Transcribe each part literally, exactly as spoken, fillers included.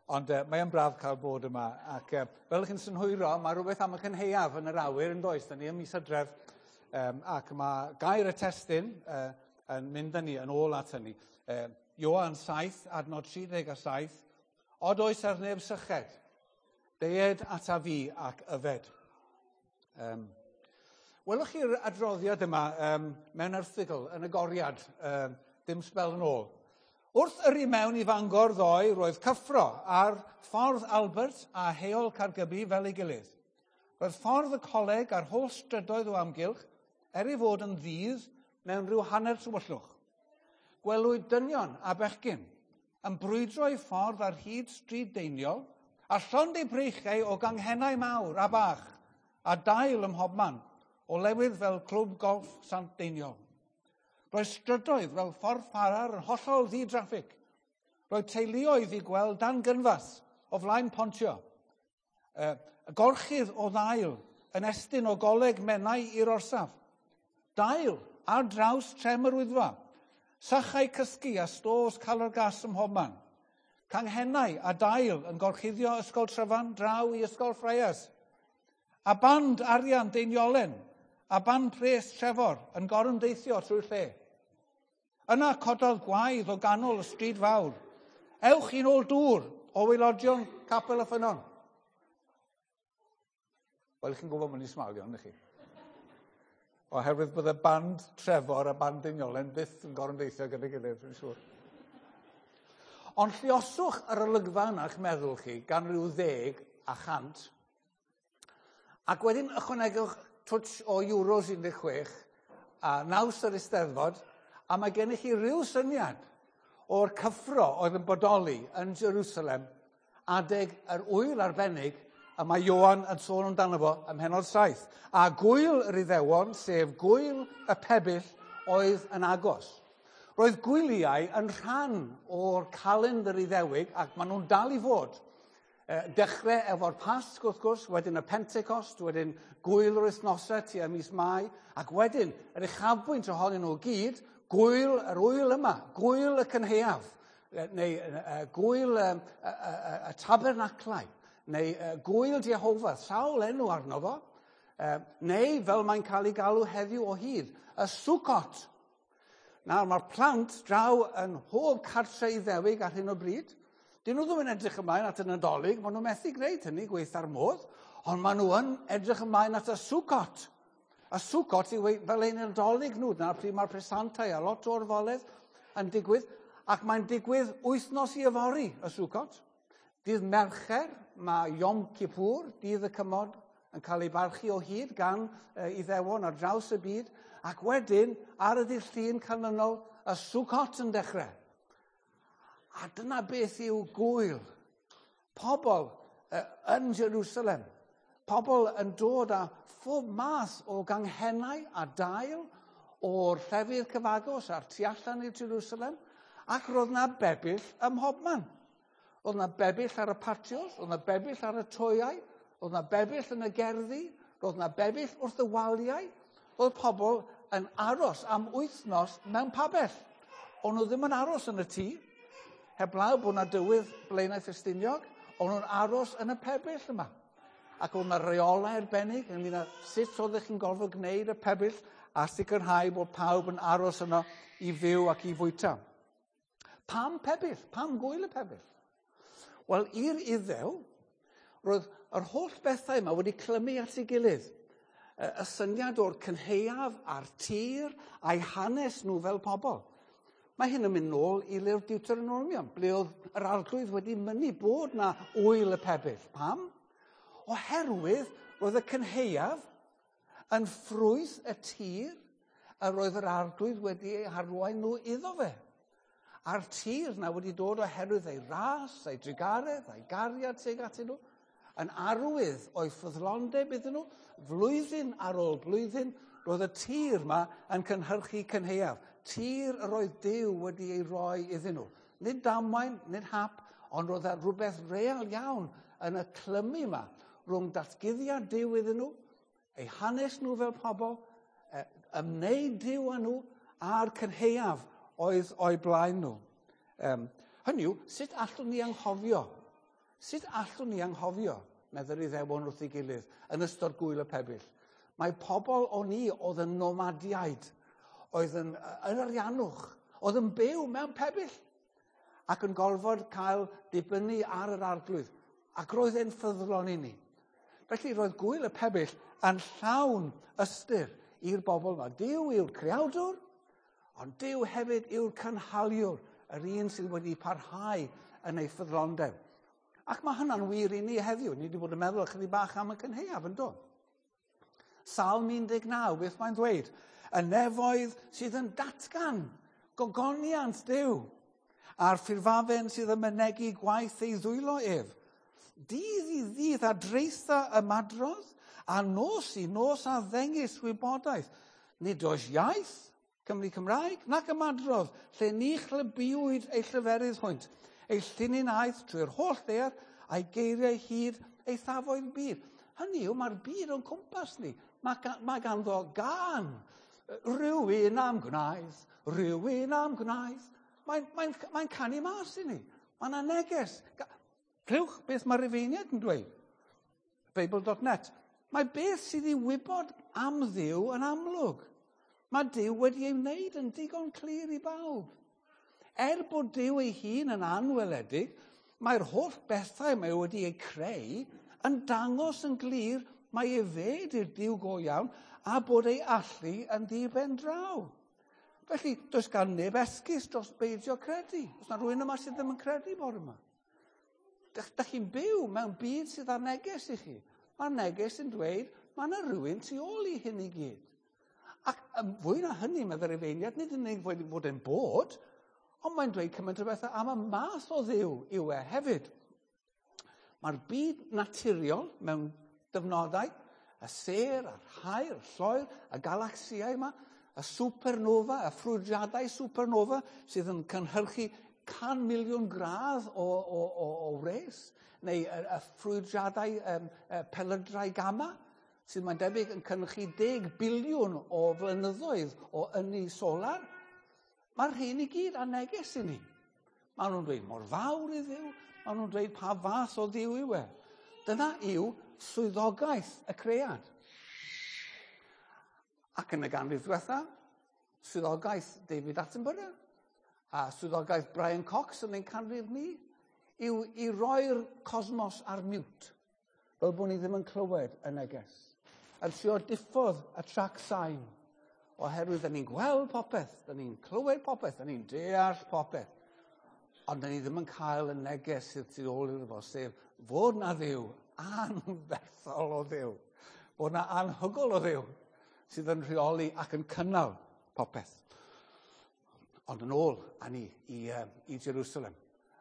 Ond uh, mae yn braf cael bod yma. Ac uh, fel chi'n synhwyro, mae rhywbeth am y cynhaeaf yn yr awyr yn does. Da ni ym mis Hydref, um, ac mae gair y testun uh, yn mynd â ni yn ôl at hynny. Uh, Ioan saith, adnod tri deg a saith, od oes ar neb syched, deued ata fi ac yfed. Um, welwch chi'r adroddiad yma um, mewn erthygl yn y Goriad, um, dim sbel yn ôl. Wrth yrru mewn i Fangor ddoe, roedd cyffro ar ffordd Albert a Heol Caergybi fel ei gilydd. Roedd ffordd y coleg a'r holl strydoedd o amgylch, er ei fod yn ddydd mewn rhyw hanner tywyllwch. Gwelwyd dynion a bechgyn yn brwydro eu ffordd ar hyd stryd Deiniol a llond eu breichiau o ganghennau mawr a bach a dail ym mhobman o lewydd fel clwb golff Sant Deiniol. Roedd strydoedd fel ffordd Ffarar yn hollol ddi-draffig. Roedd teuluoedd i gweld dan gynfas o flaen Pontio. Y gorchudd o ddail yn estyn o goleg Menai i'r orsaf. Dail ar draws trem yr Wyddfa. Sachau cysgu a stôs calor gas ym mhobman. Canghennau a dail yn gorchuddio Ysgol Tryfan draw i Ysgol Ffreias. A band arian Deiniolen a band pres Trefor yn gorymdeithio trwy'r lle. Yna cododd gwaedd o ganol y stryd fawr. Ewch i nôl dŵr o waelodion Capel y Ffynnon. Wel, chi'n gwybod mynd i smalio, ydych chi? Oherwydd bydde band Trefor a band Deiniolen byth yn gorymdeithio gyda'i gilydd, dwi'n siŵr. Ond lluoswch yr olygfa yna eich meddwl chi gan ryw ddeg a chant, ac wedyn ychwanegwch twtsh o Euros un deg chwech a naws yr Eisteddfod, a mae gennych chi ryw syniad o'r cyffro oedd yn bodoli yn Jerusalem adeg yr ŵyl arbennig y mae Ioan yn sôn amdano fo ym mhennod saith. A gŵyl yr Iddewon, sef gŵyl y pebyll, oedd yn agos. Roedd gwyliau yn rhan o'r calendr Iddewig, ac maen nhw'n dal i fod. Dechrau efo'r Pasg, wrth gwrs, wedyn y Pentecost, wedyn gŵyl yr wythnosau tua mis Mai, ac wedyn yr uchafbwynt ohonyn nhw gyd, gŵyl yr ŵyl yma, gŵyl y cynhaeaf, neu gŵyl y, y, y, y tabernaclau, neu gŵyl Jehofa, sawl enw arno fo, neu fel mae'n cael ei galw heddiw o hyd, y Sukkot. Nawr, mae'r plant draw yn mhob cartre Iddewig ar hyn o bryd. Dyn nhw ddim yn edrych ymlaen at y Nadolig, maen nhw methu gwneud hynny gweitha'r modd, ond maen nhw yn edrych ymlaen at y Sukkot. Y Sukkot yw fel ein Nadolig nhw, dyna pryd mae'r presantau a lot o'r foledd yn digwydd, ac mae'n digwydd wythnos i yfory, y Sukkot. Dydd Mercher, mae Yom Kippur, dydd y cymod, yn cael ei barchu o hyd gan Iddewon ar draws y byd, ac wedyn, ar y dydd Llun canlynol, y Sukkot yn dechrau. A dyna beth yw gŵyl. Pobl yn Jerusalem, pobl yn dod â phob math o ganghennau a dail o'r llefydd cyfagos a'r tu allan i Jerusalem, ac roedd na bebyll ym mhobman. Roedd na bebyll ar y patios, roedd na bebyll ar y toeau, roedd na bebyll yn y gerddi, roedd na bebyll wrth y waliau. Roedd pobl yn aros am wythnos mewn pabell. O'n nhw ddim yn aros yn y tŷ, heblaw bod na dywydd Blaenau Ffestiniog, o'n nhw'n aros yn y pebyll yma. Ac oedd yna reolau arbennig ynglyn â sut oeddech chi'n gorfod gwneud y pebyll a sicrhau bod pawb yn aros yno i fyw ac i fwyta. Pam pebyll? Pam gŵyl y pebyll? Wel, i'r Iddew, roedd yr holl bethau yma wedi clymu at ei gilydd. Y syniad o'r cynhaeaf a'r tir a'i hanes nhw fel pobl. Mae hyn yn mynd nôl i lyfr Deuteronomium, ble oedd yr arglwydd wedi mynnu bod na ŵyl y pebyll. Pam? Oherwydd roedd y cynhaeaf yn ffrwyth y tir a roedd yr arglwydd wedi ei harwain nhw iddo fe. A'r tir na wedi dod oherwydd ei ras, ei drugaredd, ei gariad tuag atyn nhw, yn arwydd o'i ffyddlondeb iddyn nhw, flwyddyn ar ôl blwyddyn, roedd y tir yma yn cynhyrchu cynhaeaf. Tir yr oedd Duw wedi ei roi iddyn nhw. Nid damwain, nid hap, ond roedd rhywbeth real iawn yn y clymu yma rhwng datguddiad Duw iddyn nhw, eu hanes nhw fel pobl, ymwneud Duw â nhw, a'r cynhaeaf oedd o'i blaen nhw. Um, hynny yw, sut allwn ni anghofio Sut allwn ni anghofio, meddwl Iddewon wrth ei gilydd, yn ystod gwyl y pebyll? Mae pobl o ni oedd yn nomadiaid, oedd yn, yn arianwch, oedd yn byw mewn pebyll, ac yn gorfod cael dibynnu ar yr arglwydd, ac roedd e'n ffyddlon i ni. Felly roedd gwyl y pebyll yn llawn ystyr i'r bobl yma. Duw yw'r creawdwr, ond Duw hefyd yw'r cynhaliwr, yr un sydd wedi parhau yn ei ffyddlondeb. Ac mae hynna'n wir i ni heddiw. Ni wedi bod yn meddwl ychydig bach am y cynhaeaf, yn do? Salm un deg naw, beth mae'n dweud? Y nefoedd sydd yn datgan gogoniant Duw, a'r ffurfafen sydd yn mynegi gwaith ei ddwylo ef. Dydd i ddydd a draetha ymadrodd, a nos i nos a ddengys wybodaeth. Nid oes iaith, Cymru Cymraeg, nac ymadrodd, lle ni chlybiwyd ei lleferydd hwynt. Ei llinyn aeth trwy'r holl ddaear, a'i geiriau hyd eithafoedd byd. Hynny yw, mae'r byd o'n cwmpas ni. Mae, mae ganddo gân. Rhywun am gwnaeth, rhywun am gwnaeth. Mae'n mae, mae canu mas i ni. Mae yna neges. Clywch beth mae'r Rufeiniaid yn dweud. Bible dot net. Mae beth sydd i wybod am Dduw yn amlwg. Mae Duw wedi ei wneud yn digon clir i bawb. Er bod Duw ei hun yn anweledig, mae'r holl bethau mae wedi eu creu yn dangos yn glir mae e fed i'r Duw go iawn a bod ei allu yn ddi-ben draw. Felly, does gan neb esgus dros beidio credu. Oes na rhywun yma sydd ddim yn credu bore yma? Dych, dych chi'n byw mewn byd sydd â neges i chi. Mae'r neges yn dweud mae yna rhywun tu ôl i hyn i gyd. Ac fwy na hynny, meddai'r Rufeiniaid, nid yn unig fod e'n bod, ond mae'n dweud cymaint o bethau am y math o Dduw yw e hefyd. Mae'r byd naturiol mewn dyfnodau, y sêr, a'r haul, y lloer, y galaxiau yma, y supernova, y ffrwydriadau supernova sydd yn cynhyrchu can miliwn gradd o, o, o, o wres, neu y, y ffrwydriadau um, y pelydrau gamma, sydd mae'n debyg yn cynhyrchu deg biliwn o flynyddoedd o ynni solar. Mae'r rhain i gyd â neges i ni. Maen nhw'n dweud mor fawr i Dduw, maen nhw'n dweud pa fath o Dduw yw e. Dyna yw swyddogaeth y cread. Ac yn y ganrif diwetha, swyddogaeth David Attenborough a swyddogaeth Brian Cox yn ein canrif ni yw i roi'r cosmos ar mute, fel bod ni ddim yn clywed y neges. Yn trio diffodd y trac sain, oherwydd da ni'n gweld popeth, da ni'n clywed popeth, da ni'n deall popeth, ond da ni ddim yn cael y neges sydd tu ôl iddo fo, sef fod na Dduw anferthol o Dduw, fod na anhygol o Dduw sydd yn rheoli ac yn cynnal popeth. Ond yn ôl â ni i, uh, i Jerusalem.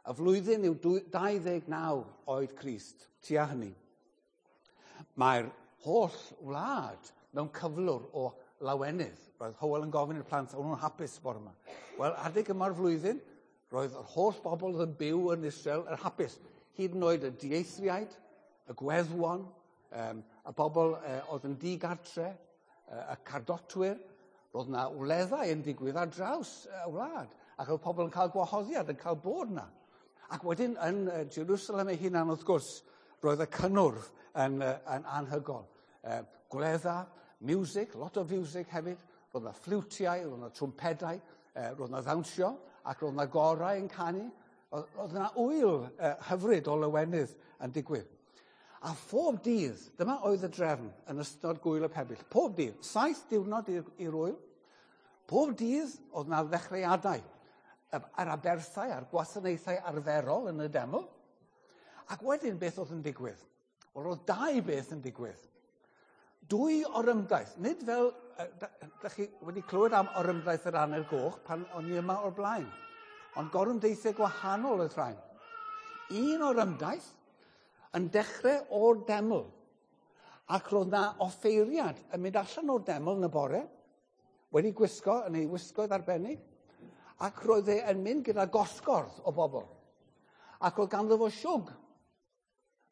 Y flwyddyn yw dau ddeg naw oed Crist, tua hynny. Mae'r holl wlad mewn cyflwr o lawenydd. Roedd Hywel yn gofyn i'r plant, o'n nhw'n hapus bore yma. Wel, adeg yma'r flwyddyn, roedd yr holl bobl oedd yn byw yn Israel yn hapus. Hyd yn oed y dieithriaid, y gweddwon, um, y bobl uh, oedd yn digartre, uh, y cardotwyr. Roedd yna wleddau yn digwydd ar draws y wlad, ac oedd pobl yn cael gwahoddiad, yn cael bod yna. Ac wedyn yn Jerusalem ei hunan, wrth gwrs, roedd y cynnwrf yn, yn anhygol. Uh, gwledda, music, lot o music hefyd, roedd yna ffliwtiau, roedd yna trwmpedau, uh, roedd yna ddawnsio, ac roedd yna gorau yn canu. Roedd yna ŵyl uh, hyfryd o lawenydd yn digwydd. A phob dydd, dyma oedd y drefn yn ystod gwyl y pebyll, pob dydd, saith diwrnod i'r ŵyl, pob dydd oedd yna ddechreuadau, yr aberthau a'r gwasanaethau arferol yn y deml, ac wedyn beth oedd yn digwydd? Wel, oedd dau beth yn digwydd. Dwy orymdaith, nid fel, da chi wedi clywed am orymdaith yr Aner Goch pan o'n i yma o'r blaen, ond gorymdeithiau gwahanol oedd rhain. Un orymdaith yn dechrau o'r deml, ac roedd na offeiriad yn mynd allan o'r deml yn y bore, wedi gwisgo yn ei wisgoedd arbennig, ac roedd e yn mynd gyda gosgordd o bobl. Ac roedd ganddo fo siwg.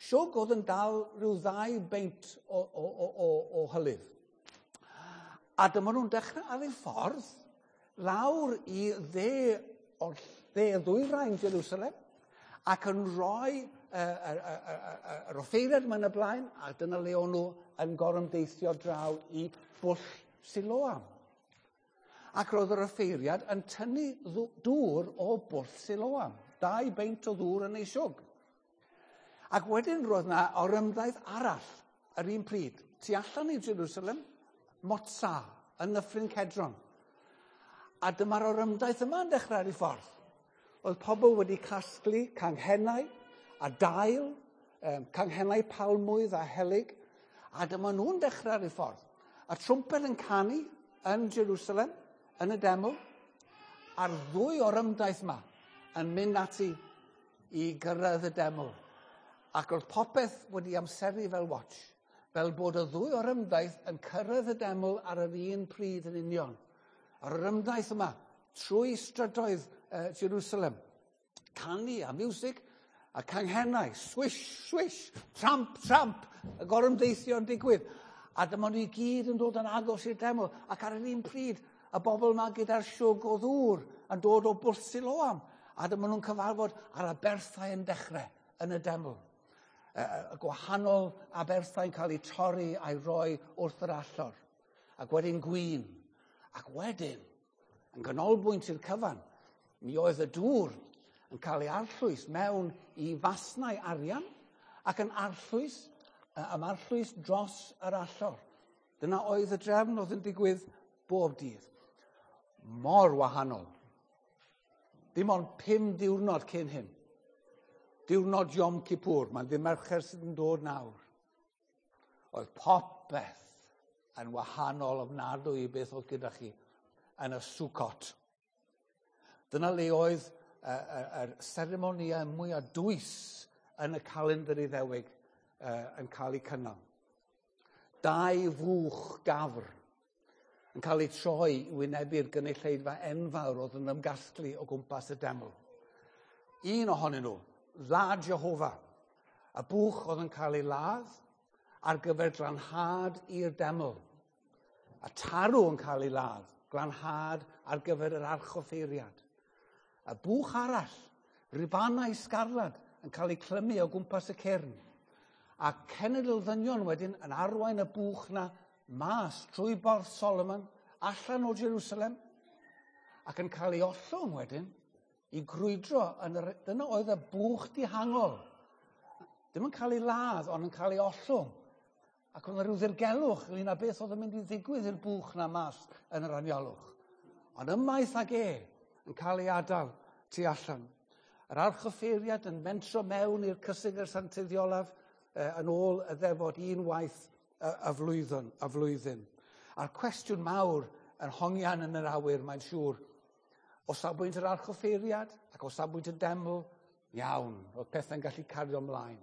Siwg oedd yn dal rhyw ddau beint o, o, o, o, o hylif. A dyma nhw'n dechrau ar ei ffordd lawr i dde o'r dde ddwyrain Jerusalem, ac yn rhoi yr offeiriad yma yn y blaen, a dyna le o'n nhw yn gorymdeithio draw i bwll Siloam. Ac roedd yr offeiriad yn tynnu dŵr o bwll Siloam. Dau beint o ddŵr yn ei siwg. Ac wedyn roedd yna orymdaith arall yr un pryd. Tu allan i Jerusalem, Motsa, yn Nyffryn Cedron. A dyma'r orymdaith yma yn dechrau ar ei ffordd. Oedd pobl wedi casglu canghennau a dail, um, canghennau palmwydd a helyg, a dyma nhw'n dechrau ar ei ffordd. A trwmped yn canu yn Jerusalem, yn y deml, a'r ddwy orymdaith yma yn mynd ati i gyrraedd y deml. Ac roedd popeth wedi amseru fel watch, fel bod y ddwy orymdaith yn cyrraedd y deml ar yr un pryd yn union. A'r orymdaith yma, trwy strydoedd uh, Jerusalem, canu a miwsig, a canghennau, swish, swish, tramp, tramp, y gorymdeithio yn digwydd. A dyma nhw i gyd yn dod yn agos i'r deml, ac ar yr un pryd, y bobl yma gyda'r siwg o ddŵr yn dod o bwll Siloam. A dyma nhw'n cyfarfod ar aberthau yn dechrau yn y deml. Y, y gwahanol aberthau'n cael eu torri a'i roi wrth yr allor. Ac wedyn gwin. Ac wedyn, yn ganolbwynt i'r cyfan, mi oedd y dŵr yn cael ei arllwys mewn i fasnau arian ac yn arllwys, am arllwys dros yr allor. Dyna oedd y drefn oedd yn digwydd bob dydd. Mor wahanol. Dim ond pum diwrnod cyn hyn. Diwrnod Yom Kippur, mae'n ddydd Mercher sydd yn dod nawr. Oedd popeth yn wahanol ofnadwy i beth oedd gyda chi yn y Sukkot. Dyna le oedd yr seremonïau mwyaf dwys yn y calendr Iddewig yn cael eu cynnal. Dau fwch gafr yn cael eu troi i wynebu'r gynulleidfa enfawr oedd yn ymgasglu o gwmpas y deml. Un ohonyn nhw, Lad Jehofa, y bwch oedd yn cael ei ladd ar gyfer glanhad i'r deml. A tarw yn cael ei ladd, glanhad ar gyfer yr archoffeiriad. A bwch arall, ribanau sgarlad yn cael eu clymu o gwmpas y cyrn. A cenedl ddynion wedyn yn arwain y bwch na mas trwy Borth Solomon, allan o Jerusalem, ac yn cael ei ollwng wedyn i grwydro. Yn yr, dyna oedd y bwch dihangol. Ddim yn cael ei ladd, ond yn cael ei ollwng. Ac oedd rhyw ddirgelwch ynglyn â beth oedd yn mynd i ddigwydd i'r bwch na mas yn yr anialwch. Ond ymaith ag e yn cael ei adael tu allan. Yr archoffeiriad yn mentro mewn i'r cysegr sanctiddiolaf eh, yn ôl y ddefod un waith y, y flwyddyn, y flwyddyn. A'r cwestiwn mawr yn hongian yn yr awyr, mae'n siŵr, o safbwynt yr archoffeiriad ac o safbwynt y deml, iawn, oedd pethau'n gallu cario ymlaen.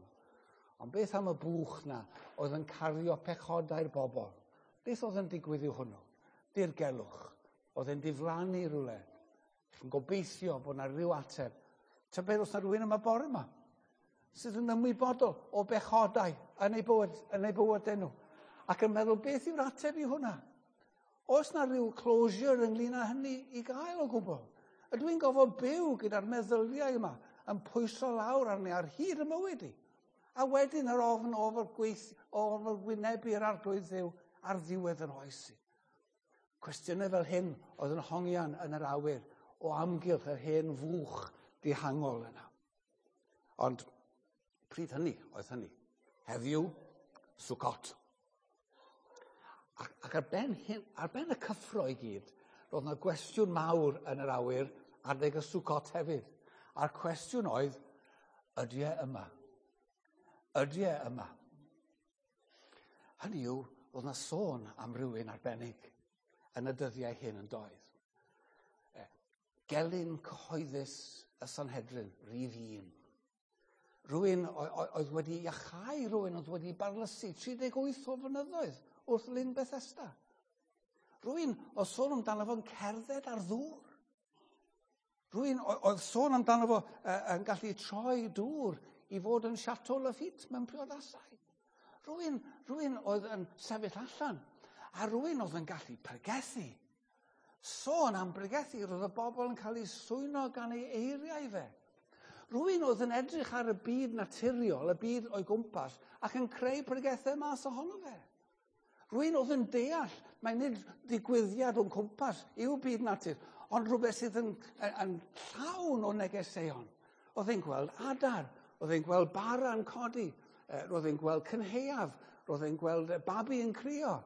Ond beth am y bwch na oedd yn cario pechodau'r bobl? Beth oedd yn digwydd i'w hwnnw? Dirgelwch. Oedd yn diflannu rhywle. Chi'n gobeithio bod yna rhyw ateb. Tybed os yna rhywun yma bore yma sydd yn ymwybodol o bechodau yn ei bywyd, yn ei bywydau nhw. Ac yn meddwl, beth yw'r ateb i hwnna? Oes na rhyw closure ynglyn â hynny i gael o gwbl? Ydw i'n gofod byw gyda'r meddyliau yma yn pwyso lawr arni ar hyd y mywyd i? A wedyn yr ofn o fod gweith, o fod wynebu'r arglwydd Dduw ar ddiwedd yr oes i. Cwestiynau fel hyn oedd yn hongian yn yr awyr o amgylch yr hen fwch dihangol yna. Ond pryd hynny oedd hynny. Heddiw, Sukkot. Ac, ac ar, ben hyn, ar ben y cyffro i gyd, roedd yna gwestiwn mawr yn yr awyr adeg y Sukkot hefyd. A'r cwestiwn oedd, ydy e yma? Ydy e yma? Hynny yw, roedd yna sôn am rywun arbennig yn y dyddiau hyn yn doedd. Gelyn cyhoeddus y Sanhedrin, rhif un. Rhywun oedd wedi iachau, rhywun oedd wedi barlysu tri deg wyth o flynyddoedd wrth Lyn Bethesda. Rhywun oedd sôn amdano fo'n cerdded ar ddŵr. Rhywun oedd sôn amdano fo yn gallu troi dŵr i fod yn Chateau Lafite mewn priodasau. Rhywun, rhywun oedd yn sefyll allan, a rhywun oedd yn gallu pregethu. Sôn am bregethu, roedd y bobl yn cael eu swyno gan ei eiriau fe. Rhywun oedd yn edrych ar y byd naturiol, y byd o'i gwmpas, ac yn creu pregethau mas ohono fe. Rhywun oedd yn deall, mae nid ddigwyddiad o'n cwmpas yw byd natur, ond rhywbeth sydd yn, yn, yn llawn o negeseuon. Oedd e'n gweld adar, oedd e'n gweld bara yn codi, roedd e'n gweld cynhaeaf, roedd e'n gweld babi yn crio,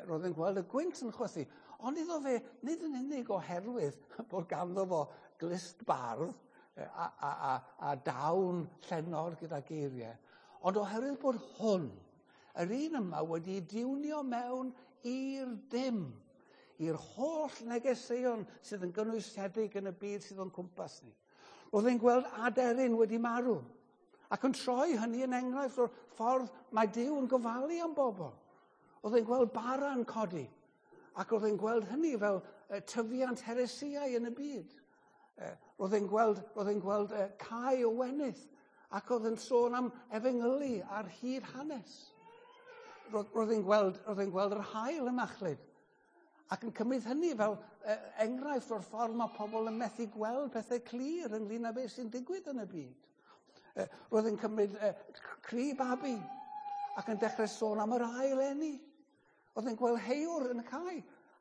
roedd e'n gweld y gwynt yn chwythu. Ond iddo fe, nid yn unig oherwydd bod ganddo fo glust bardd a, a, a, a dawn llenor gyda geiriau, ond oherwydd bod hwn, yr un yma wedi diwnio mewn i'r dim, i'r holl negeseuon sydd yn gynwysedig yn y byd sydd o'n cwmpas ni. Roedd e'n gweld aderyn wedi marw, ac yn troi hynny yn enghraifft o'r ffordd mae Duw yn gofalu am bobl. Oedd e'n gweld bara yn codi, ac roedd e'n gweld hynny fel tyfiant heresiau yn y byd. Roedd e'n gweld, roedd e'n gweld cae o wenith, ac oedd e'n sôn am efengylu ar hyd hanes. Roedd e'n gweld, roedd e'n gweld yr haul yn machlud, ac yn cymryd hynny fel enghraifft o'r ffordd mae pobl yn methu gweld pethau clir ynglyn â beth sy'n digwydd yn y byd. Roedd e'n cymryd cri babi ac yn dechrau sôn am yr ail eni. Oedd e'n gweld heiwr yn y cae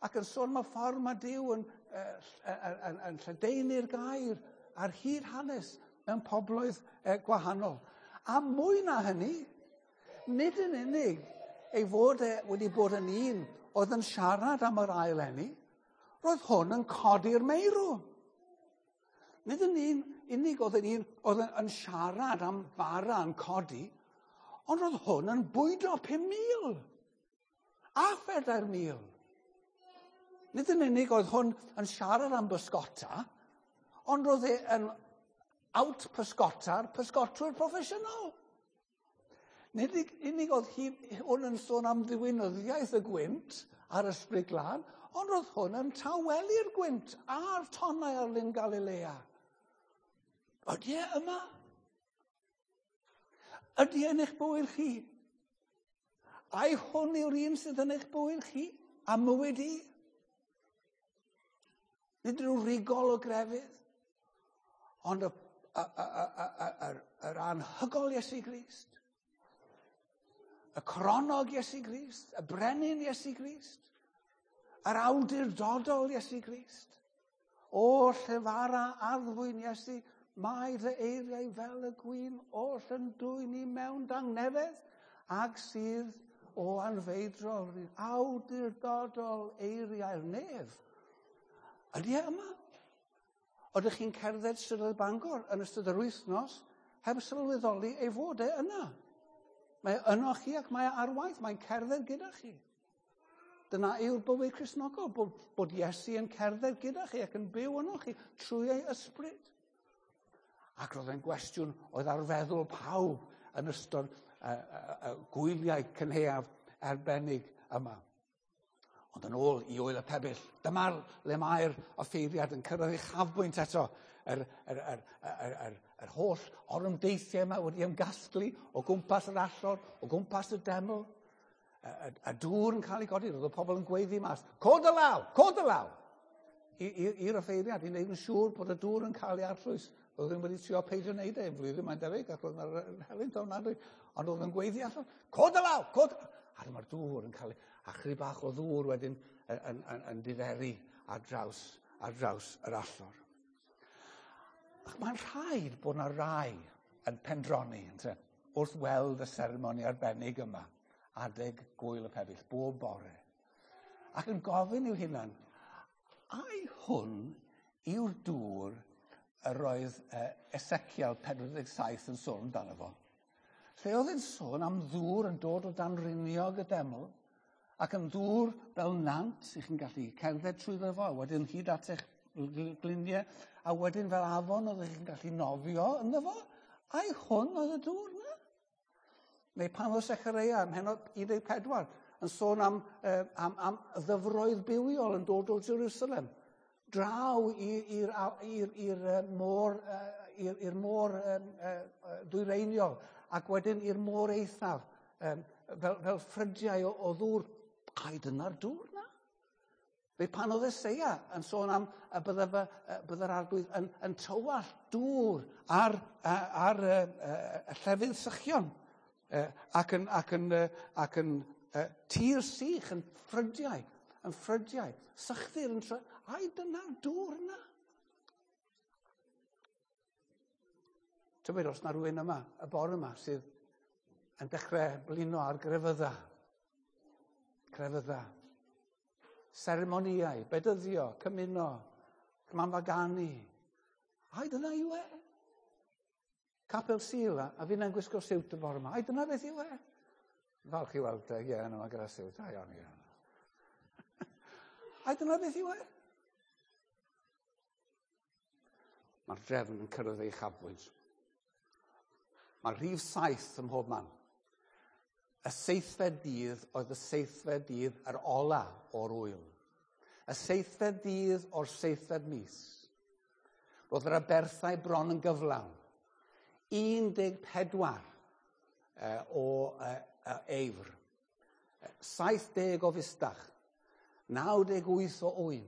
ac yn sôn am y ffordd mae Duw yn, yn, yn, yn lledaenu'r gair ar hyd hanes mewn pobloedd gwahanol. A mwy na hynny, nid yn unig ei fod e wedi bod yn un oedd yn siarad am yr ail eni, roedd hwn yn codi'r meirw. Nid yn un unig oedd yn un oedd yn siarad am bara yn codi, ond roedd hwn yn bwydo pum mil a phedair mil. Nid yn unig oedd hwn yn siarad am bysgota, ond roedd e yn out pysgota'r pysgotwyr proffesiynol. Nid unig oedd hwn yn sôn am ddiwinyddiaeth y gwynt a'r ysbryd glân, ond roedd hwn yn tawelu'r gwynt a'r tonnau ar Lyn Galilea. Ydy e yma? Ydy e yn eich bywyd chi? Ai hwn yw'r un sydd yn eich bywyd chi a mywyd i? Nid rhyw rigol o grefydd, ond y, y, y, y, y, y, yr anhygol Iesu Grist, y coronog Iesu Grist, y brenin Iesu Grist, yr awdurdodol Iesu Grist. O llefara addfwyn Iesu, mae fy eiriau fel y gwin oll yn dwyn i mewn dangnefedd, ag sydd o anfeidrol awdurdodol eiriau'r nef. Ydy e yma? Oeddech chi'n cerdded strydoedd Bangor yn ystod yr wythnos heb sylweddoli ei fod e yna? Mae yno chi ac mae ar waith, mae'n cerdded gyda chi. Dyna yw'r bywyd Cristnogol, bod, bod Iesu yn cerdded gyda chi ac yn byw yno chi trwy ei ysbryd. Ac roedd e'n gwestiwn oedd ar feddwl pawb yn ystod uh, uh, uh, gwyliau cynhaeaf arbennig yma. Ond yn ôl i Ŵyl y Pebyll, dyma'r le mae'r offeiriad yn cyrraedd ei chafbwynt eto. Yr, yr, yr, yr, yr, yr holl orymdeithiau yma wedi ymgasglu o gwmpas yr allor, o gwmpas y deml. Y, y, y dŵr yn cael ei godi, roedd y pobl yn gweiddi mas. Cod y law, cod y law! I'r offeiriad, i wneud yn siŵr bod y dŵr yn cael ei arllwys. Roedd yn wedi trio peidio wneud e, flwyddyn mae'n debyg, ac roedd yna'r helynt ofnadwy. Ond roedd yn gweiddi allan, cod y law, cod! A dyma'r dŵr yn cael ei, a chydig bach o ddŵr wedyn yn, yn, yn, yn diferu ar draws, ar draws yr allor. Ac mae'n rhaid bod yna rai yn pendroni, ynte, wrth weld y seremoni arbennig yma, adeg Gŵyl y Pebyll, bob bore. Ac yn gofyn i'w hunan, ai hwn yw'r dŵr yr oedd Ezekiel pedwar deg saith yn sôn amdano fo? Lle oedd e'n sôn am ddŵr yn dod o dan riniog y deml, ac yn ddŵr fel nant, i chi'n gallu cerdded trwyddo fo, a wedyn hyd at eich gliniau, a wedyn fel afon oedd chi'n gallu nofio ynddo fo. Ai hwn oedd y dŵr na? Neu pan oedd Sechareia ym mhennod un deg pedwar yn sôn am, eh, am, am ddyfroedd bywiol yn dod o Jerusalem, draw i'r môr, i'r môr dwyreiniol, ac wedyn i'r môr eithaf, fel, fel ffrydiau o, o ddŵr. Ai dyna'r dŵr na? Fe pan oedd Eseia yn sôn am y bydde, bydde'r arglwydd yn, yn tywallt dŵr ar, ar, ar y, y llefydd sychion ac yn, ac yn, ac yn tir sych, yn ffrydiau, yn ffrydiau, sychdir yn tro... Ai, dyna'r dŵr yna. Tybed os na rhywun yma, y bore yma, sydd yn dechrau blino ar grefydda. Crefydda. Seremonïau, bedyddio, cymuno, cymanfaganu. Ai, dyna yw e. Capel Sul, a fi'n gwisgo siwt y bore yma. Ai, dyna beth yw e. Falch i weld e, ie, yma gyda siwt. Ai, iawn, ie. Ai, dyna beth yw e. Mae'r drefn yn cyrraedd ei chafbwynt. Mae'r rhif saith ym mhob man. Y seithfed dydd oedd y seithfed dydd yr ola o'r wyl. Y seithfed dydd o'r seithfed mis. Roedd yr aberthau bron yn gyflawn. un deg pedwar o eifr. saith deg o fustach. naw deg wyth o ŵyn.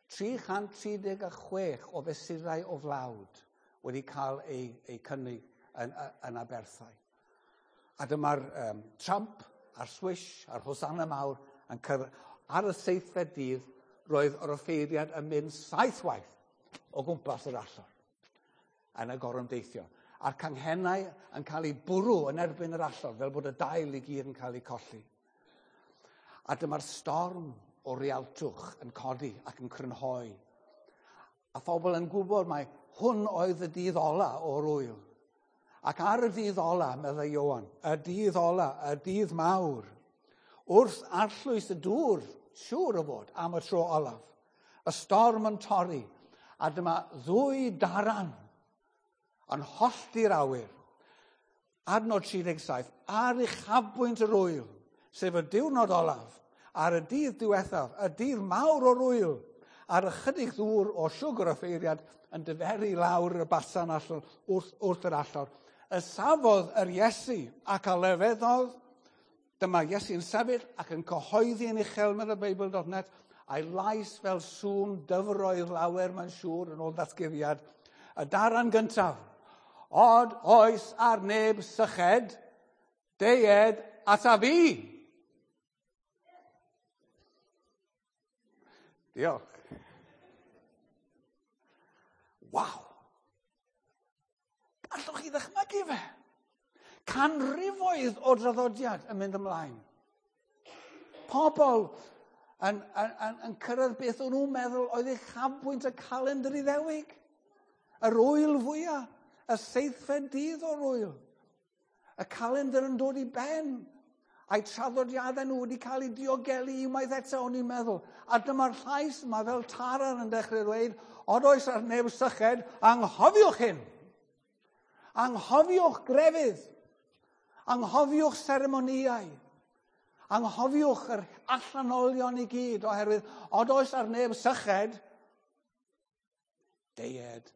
tri chant tri deg a chwech o fesurau o flawd wedi cael eu, eu cynnig yn, yn aberthau. A dyma'r um, tramp a'r swish a'r hosanna mawr yn cyrraedd. Ar y seithfed dydd, roedd yr offeiriad yn mynd saith waith o gwmpas yr allor yn y gorymdeithio. A'r canghennau yn cael eu bwrw yn erbyn yr allor, fel bod y dail i gyd yn cael eu colli. A dyma'r storm o rialtwch yn codi ac yn crynhoi. A phobl yn gwybod mai hwn oedd y dydd ola o'r wyl. Ac ar y dydd ola, meddai Ioan, y dydd ola, y dydd mawr, wrth arllwys y dŵr, siŵr o fod, am y tro olaf, y storm yn torri, a dyma ddwy daran yn hollti'r awyr. Adnod tri deg saith, ar uchafbwynt yr wyl, sef y diwrnod olaf, ar y dydd diwethaf, y dydd mawr o'r wyl, ar ychydig ddŵr o siwgr offeiriad yn dyferu lawr y basan allan wrth, wrth yr allor. Y safodd yr Iesu ac a lefeddodd, dyma Iesu'n sefyll ac yn cyhoeddi yn uchel mewn y Beibl dot net, a'i lais fel sŵn dyfroedd lawer mae'n siŵr yn ôl ddatguddiad. Y daran gyntaf, od oes ar neb syched, deued ata fi. Diolch. Waw! Allwch chi ddychmygu fe? Canrifoedd o draddodiad yn mynd ymlaen. Pobl yn, yn, yn, yn cyrraedd beth o'n nhw'n meddwl oedd uchafbwynt y calendr Iddewig. Yr wyl fwyaf, y seithfed dydd o'r wyl. Y calendr yn dod i ben. A'i traddodiadau nhw wedi cael eu diogelu unwaith eto, o'n i'n meddwl. A dyma'r llais yma fel taran yn dechrau dweud, od oes ar neb syched, anghofiwch hyn. Anghofiwch grefydd. Anghofiwch seremonïau. Anghofiwch yr allanolion i gyd, oherwydd od oes ar neb syched, deued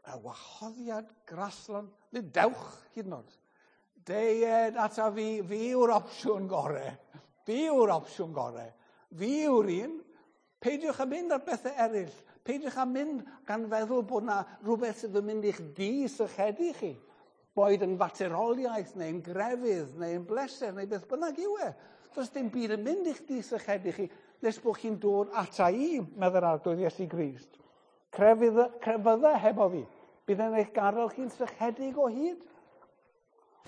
y wahoddiad graslon, nid dewch hyd yn oed. Deued ata fi, fi yw'r opsiwn gore. Fi yw'r opsiwn gore. Fi yw'r un. Peidiwch â mynd ar bethau eraill. Peidiwch â mynd gan feddwl bod na rhywbeth sydd yn mynd i'ch di-sychedu chi. Boed yn fateroliaeth, neu'n grefydd, neu'n bleser, neu beth bynnag yw e. Does dim byd yn mynd i'ch di-sychedu chi nes bod chi'n dod ata i, meddai'r Arglwydd Iesu Grist. Crefydd, crefydda hefo fi. Bydd yn eich gadael chi'n sychedig o hyd.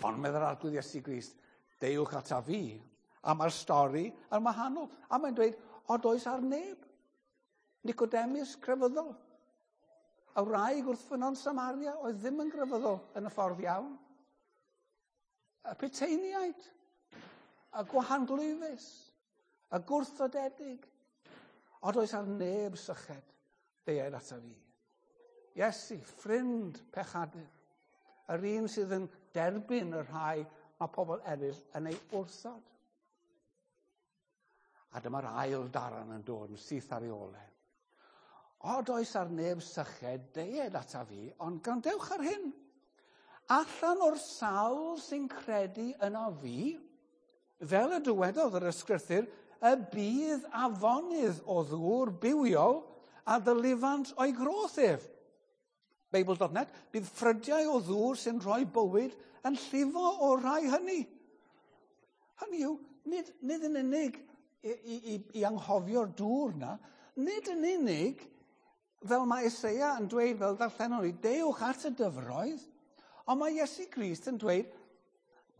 Ond meddai'r Arglwydd Iesu Grist, deuwch ata fi. A mae'r stori yn wahanol. A mae'n dweud, od oes ar neb. Nicodemus crefyddol. Y wraig wrth ffynnon Samaria oedd ddim yn grefyddol yn y ffordd iawn. Y puteiniaid, y gwahanglwyfus, y gwrthodedig. Od oes ar neb syched, deued ata fi. Iesu, ffrind pechadur. Yr un sydd yn derbyn y rhai mae pobl eraill yn ei wrthod. A dyma'r ail daran yn dod yn syth ar ei ole. Od oes ar neb syched, deued ata fi, ond gwrandewch ar hyn. Allan o'r sawl sy'n credu yno fi, fel y dywedodd yr ysgrythur, y bydd afonydd o ddŵr bywiol a ddylifant o'i groth ef. Bible dot net, bydd ffrydiau o ddŵr sy'n rhoi bywyd yn llifo o'r rhai hynny. Hynny yw, nid, nid yn unig i, i, i anghofio'r dŵr na, nid yn unig, fel mae Eseia yn dweud, fel darllenon ni, dewch at y dyfroedd, ond mae Iesu Grist yn dweud,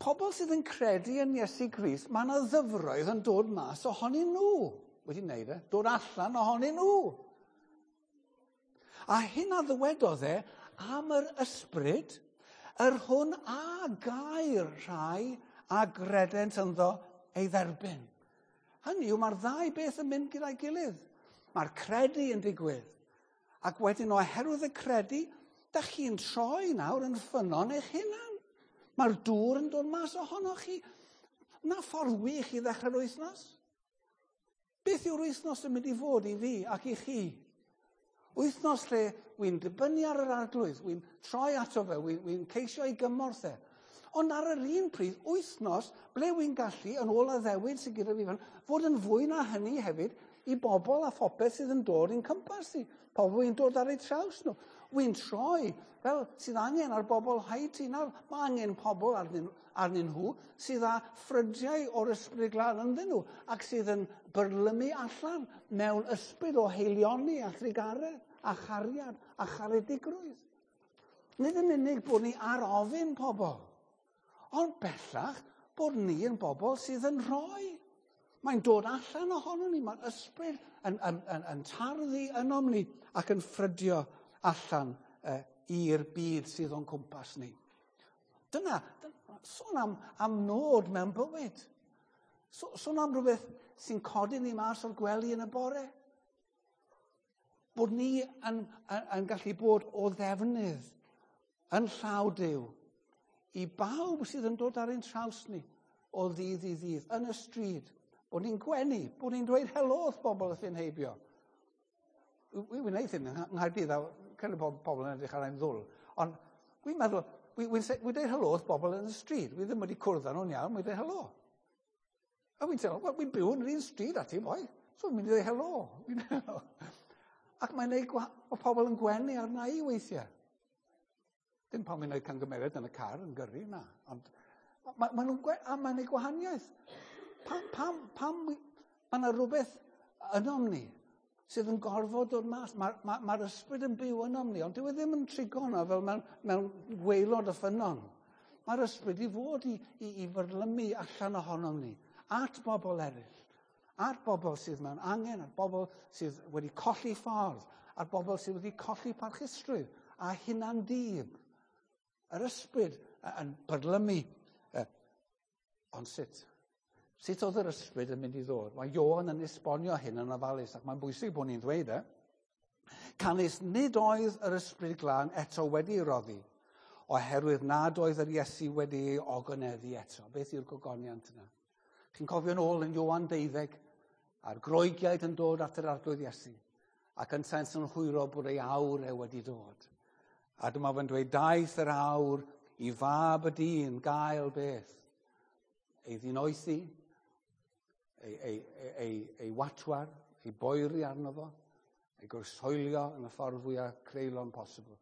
pobl sydd yn credu yn Iesu Grist, mae yna ddyfroedd yn dod mas ohonyn nhw. Wedi wneud e, dod allan ohonyn nhw. A hyn a ddywedodd e am yr ysbryd, yr hwn a gair rhai a gredent ynddo ei dderbyn. Hynny yw, mae'r ddau beth yn mynd gyda'i gilydd. Mae'r credu yn digwydd. Ac wedyn oherwydd y credu, da chi'n troi nawr yn ffynnon eich hunan. Mae'r dŵr yn dod mas ohonoch chi. Na ffordd wych i ddechrau'r wythnos. Beth yw'r wythnos yn mynd i fod i fi ac i chi? Wythnos lle wy'n dibynnu ar yr Arglwydd, wy'n troi ato fe, wy'n wy ceisio ei gymorth e. Ond ar yr un pryd, wythnos ble wy'n gallu, yn ôl addewid sydd gyda fi fan, fod yn fwy na hynny hefyd i bobl a phopeth sydd yn dod i'n cympas i. Pobl wy'n dod ar eu traws nhw. Wy'n troi, fel sydd angen ar bobl Haiti nawr. Mae angen pobl arnyn, arnyn nhw sydd â ffrydiau o'r ysbryd glân ynddyn nhw ac sydd yn byrlymu allan mewn ysbryd o heilioni a thrugaredd a chariad a charedigrwydd. Nid yn unig bod ni ar ofyn pobl, ond bellach bod ni yn bobl sydd yn rhoi. Mae'n dod allan ohono ni, mae'r ysbryd yn, yn, yn, yn tarddu ynom ni ac yn ffrydio allan uh, i'r byd sydd o'n cwmpas ni. Dyna, dyna sôn am, am nod mewn bywyd. So, sôn am rhywbeth sy'n codi ni mas o'r gwely yn y bore. Bod ni yn, yn, yn gallu bod o ddefnydd yn llaw Duw i bawb sydd yn dod ar ein traws ni o ddydd i ddydd, yn y stryd. Bod ni'n gwenu, bod ni'n dweud helo wrth bobl wrth ein heibio. Wy'n wneud hyn yng Nghaerdydd, a cyn bod pobl yn edrych ar ein ddwl. Ond wy'n meddwl, wy'n dweud helo wrth bobl yn y stryd. Wy ddim wedi cwrdd â nhw'n iawn, wy'n dweud helo. A wy'n teimlo, wel, wy'n byw yn yr un stryd â ti, boi. So wy'n mynd i ddweud helo. Ac mae'n neud, mae pobl yn gwenu arna i weithiau. Dim pan mae'n gwneud camgymeriad yn y car yn gyrru, na. Ond ma, ma nhw'n gwe, a mae'n neud gwahaniaeth. Pam, pam, pam, mae yna rhywbeth ynom ni sydd yn gorfod dod mas. Mae'r ma, ma ysbryd yn byw ynom ni, ond dyw e ddim yn trigo yno fel mewn, mewn gwaelod y ffynnon. Mae'r ysbryd i fod i, i, i fyrlymu allan ohonom ni, at bobl eraill, at bobl sydd mewn angen, at bobl sydd wedi colli ffordd, at bobl sydd wedi colli parchusrwydd a hunan-dib. Yr ysbryd yn byrlymu. Ond sut? Sut oedd yr ysbryd yn mynd i ddod? Mae Ioan yn esbonio hyn yn ofalus, ac mae'n bwysig bod ni'n dweud e. Canys nid oedd yr ysbryd glân eto wedi roddi, oherwydd nad oedd yr Iesu wedi ei ogoneddu eto. Beth yw'r gogoniant yna? Chi'n cofio'n ôl yn Ioan deuddeg, a'r Groegiaid yn dod at yr Arglwydd Iesu, ac yntau'n synhwyro bod ei awr e wedi dod. A dyma fe'n dweud, daeth yr awr i fab y dyn gael beth? Ei ddinoethi, ei, ei, ei, ei, ei watwar, ei boeri arno fo, ei gwrsoelio yn y ffordd fwyaf creulon posibl.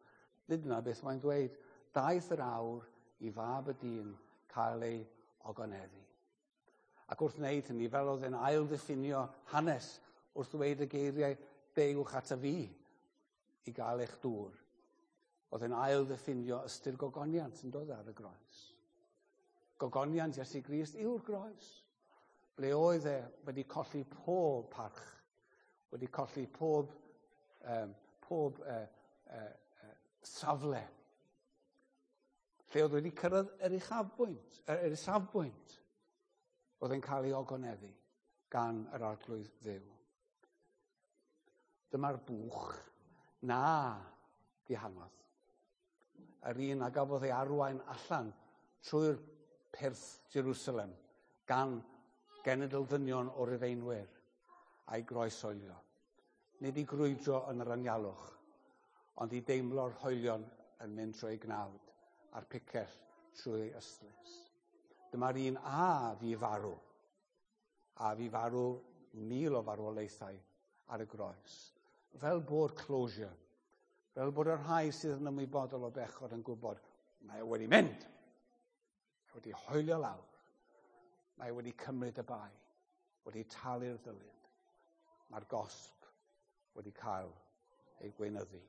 Nid yna beth mae'n dweud, daeth yr awr i fab y dyn cael ei ogoneddu. Ac wrth wneud hynny, fel oedd e'n ail-ddiffinio hanes wrth ddweud y geiriau, dewch at y fi i gael eich dŵr. Oedd e'n ail-ddiffinio ystyr gogoniant yn dod ar y groes. Gogoniant Iesu Grist yw'r groes. Ble oedd e wedi colli pob parch, wedi colli pob, um, pob uh, uh, uh, safle. Lle oedd wedi cyrraedd yr uchafbwynt, yr isafbwynt, oedd e'n cael ei ogoneddu gan yr Arglwydd Dduw. Dyma'r bwch na dihangodd. Yr un a gafodd ei arwain allan trwy'r pyrth Jerusalem gan genedl ddynion o Rufeinwyr a'i groeshoelio. Nid i grwydro yn yr anialwch, ond i deimlo'r hoelion yn mynd trwy ei gnawd a'r picell trwy ei ystlys. Dyma'r un a fu farw A fu farw mil o farwolaethau ar y groes. Fel bod closure. Fel bod y rhai sydd yn ymwybodol o bechod yn gwybod, mae e wedi mynd. Mae wedi hoelio lawr. Mae wedi cymryd y bai. Wedi talu'r ddyled. Mae'r gosb wedi cael ei gweinyddu.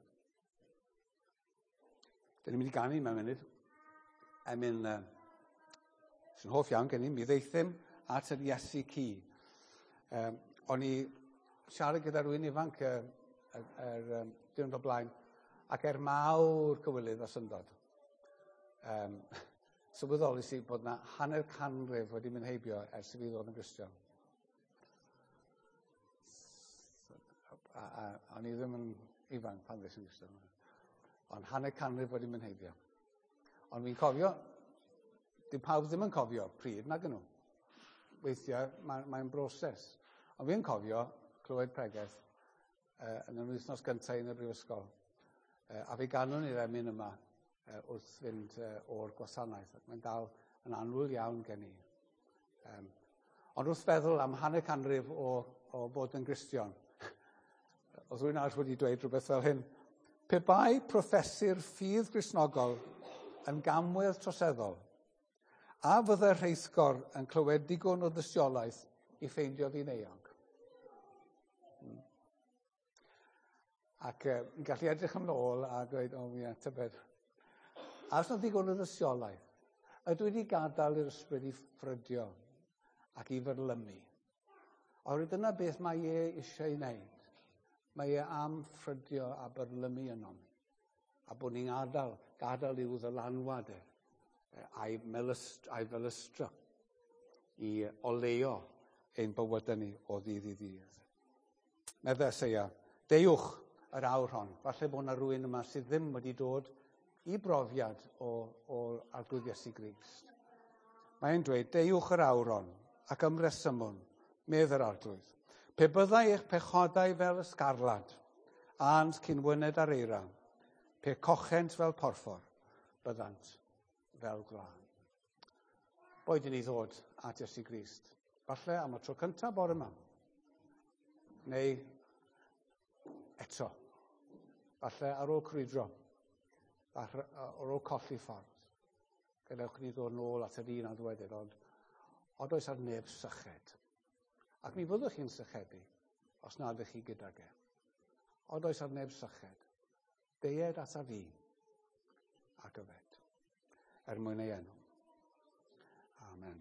Dyn ni'n mynd i ganu mewn munud. Emyn uh, sy'n hoff iawn gen i, mi ddeithym at yr Iesu cu. Um, o'n i siarad gyda rhywun ifanc yr uh, er, um, diwrnod o blaen, ac er mawr cywilydd a syndod, um, sylweddolis i bod na hanner canrif wedi mynd heibio ers i fi ddod yn Gristion. A, a, a o'n i ddim yn ifanc pan ddes i'n Gristion. Ond hanner canrif wedi mynd heibio. Ond fi'n cofio, dyw pawb ddim yn cofio pryd, nag nhw. Weithiau mae'n mae broses. Ond fi'n cofio clywed pregeth uh, yn yr wythnos gyntaf yn y brifysgol. Uh, a fe ganwn i'r emyn yma uh, wrth fynd uh, o'r gwasanaeth. Ac mae'n dal yn annwyl iawn gen i. Um, ond wrth feddwl am hanner canrif o, o bod yn Gristion, oedd rhywun arall wedi dweud rhywbeth fel hyn. Pe bai proffesu'r ffydd Gristnogol yn gamwedd troseddol, a fyddai'r rheithgor yn clywed digon o dystiolaeth i ffeindio fi'n euog? Hmm. Ac uh, yn gallu edrych yn ôl a dweud, o, ie, tybed. A os na ddigon o dystiolaeth, ydw i wedi gadael i'r ysbryd i ffrydio ac i fyrlymu? Oherwydd dyna beth mae e eisiau ei wneud. Mae e am ffrydio a byrlymu ynom ni. A bod ni'n gadael, gadael i'w ddylanwad e, a'i, melyst, a'i felystra i oleuo ein bywydau ni o ddydd i ddydd. Medde Eseia, deuwch yr awr hon. Falle bod yna rhywun yma sydd ddim wedi dod i brofiad o, o Arglwydd Iesu Grist. Mae'n dweud, deuwch yr awr hon ac ymresymwn, medd yr Arglwydd. Pe byddai eich pechodau fel ysgarlad, ânt cyn wyned ar eira, pe cochent fel porffor, byddant fel gwlân. Boed i ni ddod at Iesu Grist. Falle am y tro cyntaf bore yma. Neu eto. Falle ar ôl crwydro. Falle ar ôl colli ffordd. Gadewch ni ddod nôl at yr un a ddwedydd, ond od oes ar neb syched. Ac mi fyddwch chi'n sychedu os nad ydych chi gydag e. Od oes ar neb syched. Deued ata fi ac yfed. Er mwyn ei enw. Amen.